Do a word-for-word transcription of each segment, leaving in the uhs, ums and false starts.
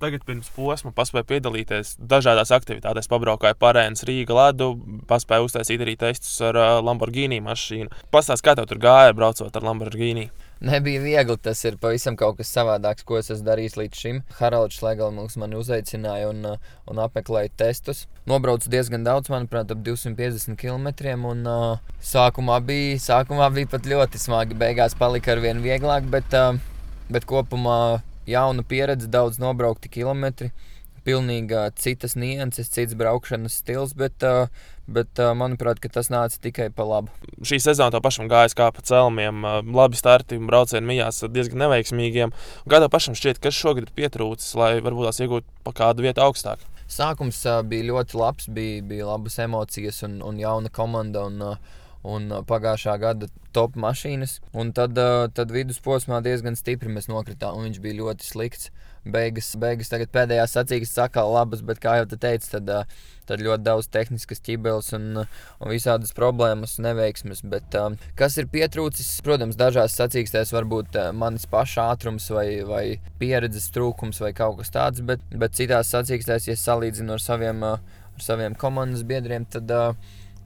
tagad pirms posma paspēju piedalīties dažādās aktivitātēs. Pabraukāju Parēnas Rīga ledu, paspēju uztaisīt arī testus ar uh, Lamborghini mašīnu. Pastāst, kā tev tur gāja braucot ar Lamborghini? Nebija viegli, tas ir pavisam kaut kas savādāks, ko es esmu darījis līdz šim. Haralds Šlegelmans mani uzaicināja un, un apmeklēja testus. Nobraucu diezgan daudz, manuprāt, ap divsimt piecdesmit kilometriem. Un, uh, sākumā, bija, sākumā bija pat ļoti smagi. Beigās palika arvien vieglāk, bet, uh, bet kopumā jauna pieredze, daudz nobraukti kilometri. Pilnīgi citas nianses, cits braukšanas stils, bet, uh, bet uh, manuprāt, ka tas nāca tikai pa labu. Šī sezona tev pašam gājas kā pa celmiem, labi starti un braucieni mijās diezgan neveiksmīgiem. Kā tev pašam šķiet, kas šogad ir pietrūcis, lai varbūt tās iegūtu pa kādu vietu augstāk? Sākums uh, bija ļoti labs, bija, bija labas emocijas un, un jauna komanda un, uh, un pagājušā gada top mašīnas. Un tad, uh, tad vidusposmā diezgan stipri mēs nokritām un viņš bija ļoti slikts. Beigas, beigas tagad pēdējās sacīkstas atkal labas, bet, kā jau te teicu, tad, tad ļoti daudz tehniskas ķibeles un, un visādas problēmas, neveiksmes. Bet, um, kas ir pietrūcis? Protams, dažās sacīkstēs varbūt manis paša ātrums vai, vai pieredzes trūkums vai kaut kas tāds, bet, bet citās sacīkstēs, ja salīdzinu ar saviem, ar saviem komandas biedriem, tad,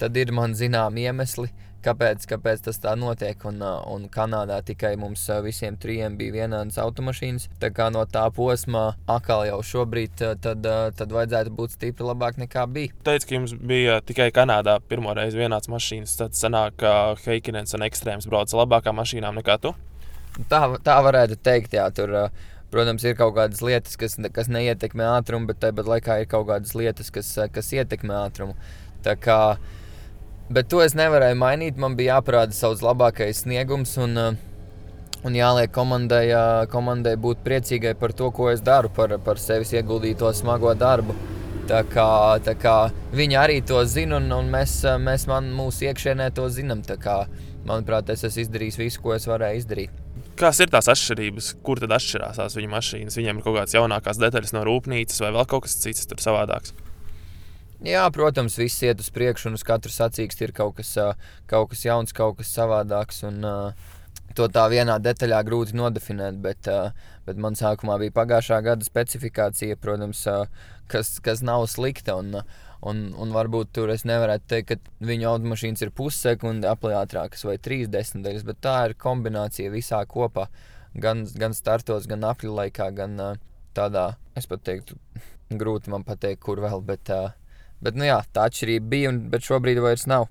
tad ir man zinām iemesli. Kāpēc, kāpēc tas tā notiek? Un, un Kanādā tikai mums visiem trijiem bija vienādas automašīnas. Tā kā no tā posmā atkal jau šobrīd tad, tad vajadzētu būt stipri labāk nekā bija. Teici, ka jums bija tikai Kanādā pirmo reizi vienāds mašīnas. Tad sanāk, ka Heikinens un Ekstrēms brauca labākām mašīnām nekā tu? Tā, tā varētu teikt, jā. Tur, protams, ir kaut kādas lietas, kas, kas neietekmē ātrumu, bet tāpat laikā ir kaut kādas lietas, kas, kas ietekmē ātrumu. Tā kā Bet to es nevarēju mainīt, man bija jāparāda savs labākais sniegums un, un jāliek komandai, komandai būt priecīgai par to, ko es daru, par, par sevis ieguldīto smago darbu. Tā kā, tā kā viņi arī to zina un, un mēs, mēs man, mūsu iekšienē to zinām. Tā kā, manuprāt, es esmu izdarījis visu, ko es varēju izdarīt. Kādas ir tās atšķirības? Kur tad atšķirās tās viņu mašīnas? Viņiem ir kaut kādas jaunākās detaļas no rūpnīcas vai vēl kaut kas cits tur savādāks? Jā, protams, viss iet uz priekšu un uz katru sacīksti ir kaut kas, kaut kas jauns, kaut kas savādāks. Un, to tā vienā detaļā grūti nodefinēt, bet, bet man sākumā bija pagājušā gada specifikācija, protams, kas, kas nav slikta. Un, un, un varbūt tur es nevarētu teikt, ka viņu automašīnas ir pussekundi apliātrākas vai trīs desmitaļas, bet tā ir kombinācija visā kopā. Gan, gan startos, gan apļu laikā, gan tādā, es pat teiktu, grūti man pateikt, kur vēl, bet... Bet, nu jā, tā atšķirība bija, un, bet šobrīd vairs nav.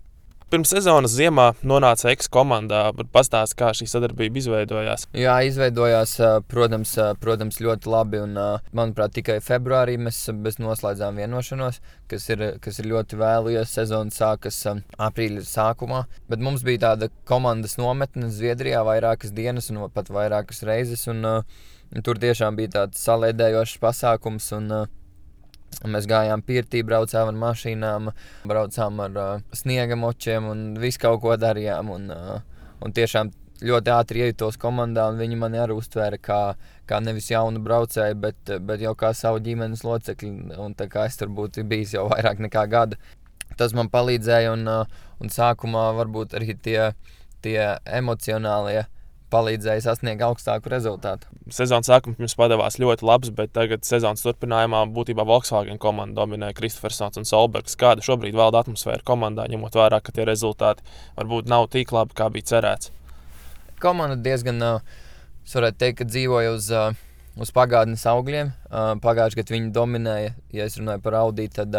Pirms sezonas ziemā nonāca eks-komandā, bet pastāsti, kā šī sadarbība izveidojās. Jā, izveidojās, protams, protams ļoti labi, un, manuprāt, tikai februārī mēs, mēs noslēdzām vienošanos, kas ir, kas ir ļoti vēlu, jo sezona sākas aprīļa sākumā. Bet mums bija tāda komandas nometne Zviedrijā vairākas dienas un pat vairākas reizes, un, un tur tiešām bija tāds salēdējošs pasākums, un mēs gājām pirtī, braucām ar mašīnām, braucām ar uh, sniega močiem un visu kaut ko darījām. Un, uh, un tiešām ļoti ātri iejutos komandā, un viņi mani arī uztvēra kā, kā nevis jaunu braucēju, bet, bet jau kā savu ģimenes locekli. Un tā kā es tur būtu bijis jau vairāk nekā gada. Tas man palīdzēja, un, uh, un sākumā varbūt arī tie, tie emocionālie palīdzēja sasniegt augstāku rezultātu. Sezonas sākums jums padevās ļoti labs, bet tagad sezonas turpinājumā būtībā Volkswagen komanda dominē Kristofersons un Solbergs. Kāda šobrīd valda atmosfēra komandā, ņemot vērā, ka tie rezultāti varbūt nav tik labi, kā bija cerēts? Komanda diezgan, es varētu teikt, ka dzīvoja uz, uz pagātnes augļiem. Pagājuši gadu viņi dominēja, ja es runāju par Audi, tad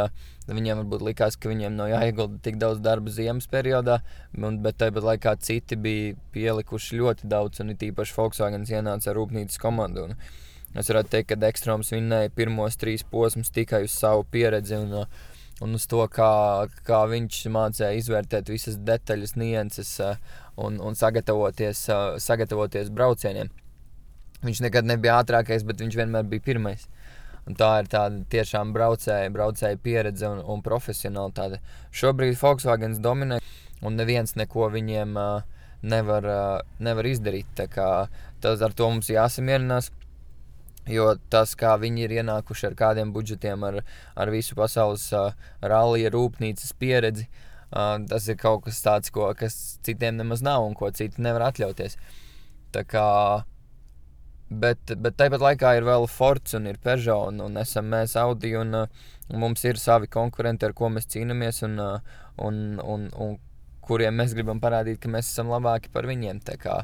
viņiem varbūt likās, ka viņiem nav jāiegulda tik daudz darba ziemas periodā, bet tāpat laikā citi bija pielikuši ļoti daudz, un it īpaši Volkswagens ienāca ar rūpnīcas komandu. Un es varētu teikt, ka Ekstrēms vinnēja pirmos trīs posmus tikai uz savu pieredzi un, un uz to, kā, kā viņš mācīja izvērtēt visas detaļas, nianses un, un sagatavoties, sagatavoties braucieniem. Viņš nekad nebija ātrākais, bet viņš vienmēr bija pirmais. Un tā ir tāda tiešām braucēja, braucēja pieredze un, un profesionalitāte. Šobrīd Volkswagens dominē, un neviens neko viņiem uh, nevar, uh, nevar izdarīt. Tā kā tas ar to mums jāsamierinās, jo tas, kā viņi ir ienākuši ar kādiem budžetiem, ar, ar visu pasaules uh, rallija rūpnīcas pieredzi, uh, tas ir kaut kas tāds, ko, kas citiem nemaz nav un ko citi nevar atļauties. Tā kā Bet, bet tāpat laikā ir vēl Fords un ir Peugeot, un, un esam mēs Audi, un, un mums ir savi konkurenti, ar ko mēs cīnāmies, un, un, un, un kuriem mēs gribam parādīt, ka mēs esam labāki par viņiem. Tā kā,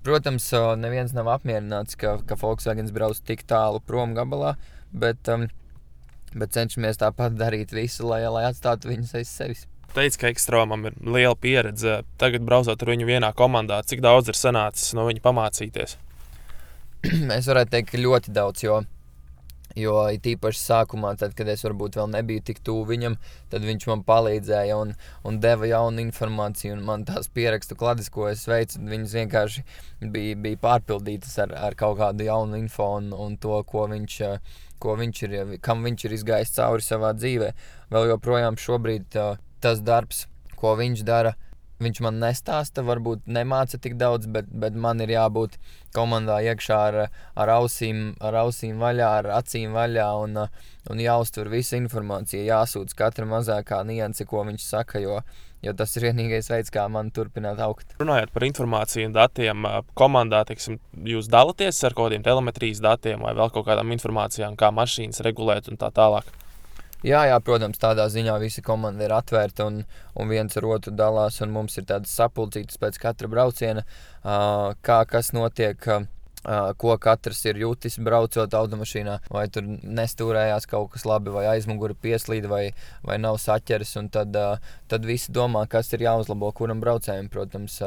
protams, neviens nav apmierināts, ka, ka Volkswagens brauc tik tālu prom gabalā, bet, um, bet cenšamies tāpat darīt visu, lai, lai atstātu viņus aiz sevis. Teic, ka Ekstromam ir liela pieredze. Tagad braucot ar viņu vienā komandā, cik daudz ir sanācis no viņa pamācīties? Es varētu teikt, ka ļoti daudz, jo, jo it īpaši sākumā, tad, kad es varbūt vēl nebiju tik tuvu viņam, tad viņš man palīdzēja un, un deva jaunu informāciju, un man tās pierakstu klades, ko es veicu, viņas vienkārši bija, bija pārpildītas ar, ar kaut kādu jaunu info un, un to, ko viņš, ko viņš ir, kam viņš ir izgājis cauri savā dzīvē. Vēl joprojām šobrīd tas darbs, ko viņš dara, viņš man nestāsta, varbūt nemāca tik daudz, bet, bet man ir jābūt komandā iekšā ar, ar, ausīm, ar ausīm vaļā, ar acīm vaļā un, un jāuztver visa informācija, jāsūdz katra mazākā nianse, ko viņš saka, jo, jo tas ir vienīgais veids, kā man turpināt augt. Runājot par informāciju un datiem, komandā, teiksim, jūs dalaties ar kaut kādiem telemetrijas datiem vai vēl kaut kādām informācijām, kā mašīnas regulēt un tā tālāk? Jā, jā, protams, tādā ziņā visa komanda ir atvērta un, un viens ar otru dalās, un mums ir tādas sapulcītas pēc katra brauciena, kā kas notiek, ko katrs ir jutis braucot automašīnā, vai tur nestūrējās kaut kas labi, vai aizmugura pieslīd, vai, vai nav saķeres, un tad, tad visi domā, kas ir jāuzlabo kuram braucējiem. Protams,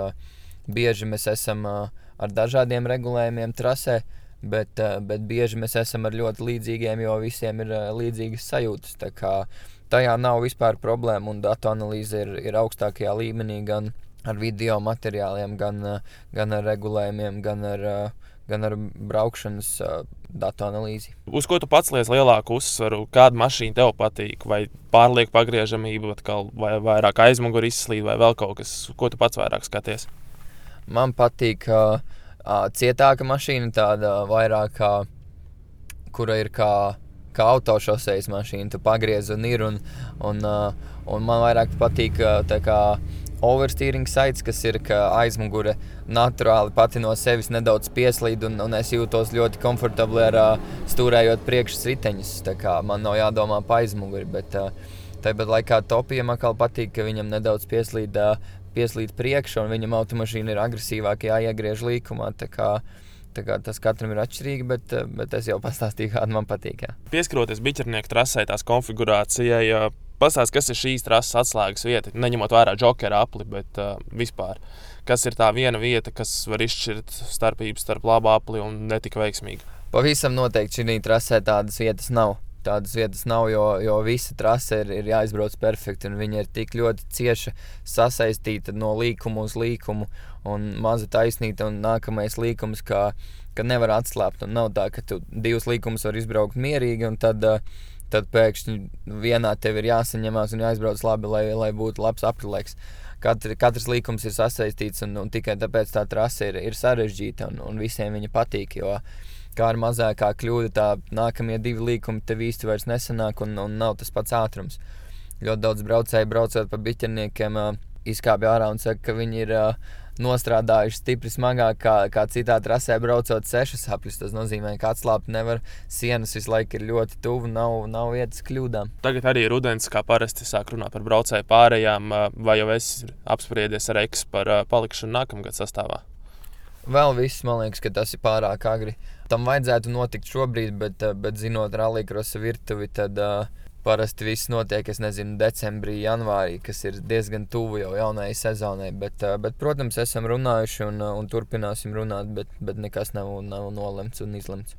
bieži mēs esam ar dažādiem regulējumiem trasē, Bet, bet bieži mēs esam ar ļoti līdzīgiem, jo visiem ir līdzīgas sajūtas. Tā kā tajā nav vispār problēma, un datu analīze ir, ir augstākajā līmenī gan ar video materiāliem, gan, gan ar regulējumiem, gan ar, gan ar braukšanas datu analīzi. Uz ko tu pats liec lielāku uzsvaru? Kāda mašīna tev patīk? Vai pārlieku pagriežamība, vai vairāk aizmuguri izslīd, vai vēl kaut kas? Ko tu pats vairāk skaties? Man patīk uh, cietāka mašīna, tāda vairāk kā, kura ir kā, kā autošosejas mašīna, tu pagriez un ir, un, un, un man vairāk patīk tā kā oversteering sites, kas ir, ka aizmugure naturāli pati no sevis nedaudz pieslīd, un, un es jūtos ļoti komfortabli ar stūrējot priekšas riteņus, tā kā man nav jādomā pa aizmuguri, bet tāpat laikā Topijam atkal patīk, ka viņam nedaudz pieslīd pieslīd priekšā, un viņam automašīna ir agresīvāk jāiegriež līkumā, tā kā, tā kā tas katram ir atšķirīgi, bet, bet es jau pastāstīju, kāda man patīk. Jā. Pieskaroties biķernieku trasē, tās konfigurācijai, pastāst, kas ir šīs trases atslēgas vieta, neņemot vērā džokera apli, bet uh, vispār, kas ir tā viena vieta, kas var izšķirt starpības starp labu apli un netika veiksmīgi? Pavisam noteikti šī trasē tādas vietas nav. Tādas vietas nav, jo, jo visa trase ir, ir jāizbrauc perfekti, un viņa ir tik ļoti cieši sasaistīta no līkuma uz līkumu, un maza taisnīta, un nākamais līkums, ka, ka nevar atslāpt, un nav tā, ka tu divus līkumus var izbraukt mierīgi, un tad, tad pēkšņi vienā tev ir jāsaņemās un jāizbrauc labi, lai, lai būtu labs aprilēks. Katr, katrs līkums ir sasaistīts, un, un tikai tāpēc tā trase ir, ir sarežģīta, un, un visiem viņa patīk, jo kā ar mazākā kļūda, tā nākamie divi līkumi tev īsti vairs nesanāk un, un nav tas pats ātrums. Ļoti daudz braucēji braucot pa biķerniekiem izkāpja ārā un saka, ka viņi ir nostrādājuši stipri smagāk kā, kā citā trasē braucot sešas apļus. Tas nozīmē, ka atslāpt nevar, sienas visu laiku ir ļoti tuvu, nav, nav vietas kļūdām. Tagad arī rudens, kā parasti sāk runāt par braucēju pārējām, vai jau esi apspriedies ar Eks par palikšanu nākamgad sastāvā? Vēl viss, man liekas, ka tas ir pārāk agri. Tam vajadzētu notikt šobrīd, bet, bet zinot rallycrossa virtuvi, tad uh, parasti viss notiek, es nezinu, decembrī, janvārī, kas ir diezgan tuvu jau jaunajai sezonai. Bet, uh, bet protams, esam runājuši un, un turpināsim runāt, bet, bet nekas nav, nav nolemts un izlemts.